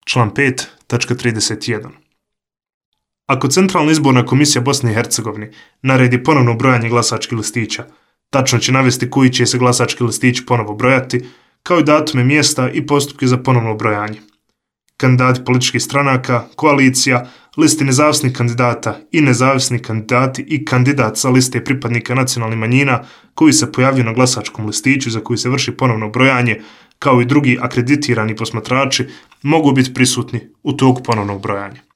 član 5.31. Ako Centralna izborna komisija Bosne i Hercegovine naredi ponovno brojanje glasačkih listića, tačno će navesti koji će se glasački listići ponovo brojati, kao i datume mjesta i postupke za ponovno brojanje. Kandidati političkih stranaka, koalicija, listi nezavisnih kandidata i nezavisni kandidati i kandidat sa liste pripadnika nacionalnih manjina koji se pojavljuju na glasačkom listiću za koji se vrši ponovno brojanje, kao i drugi akreditirani posmatrači, mogu biti prisutni u toku ponovnog brojanja.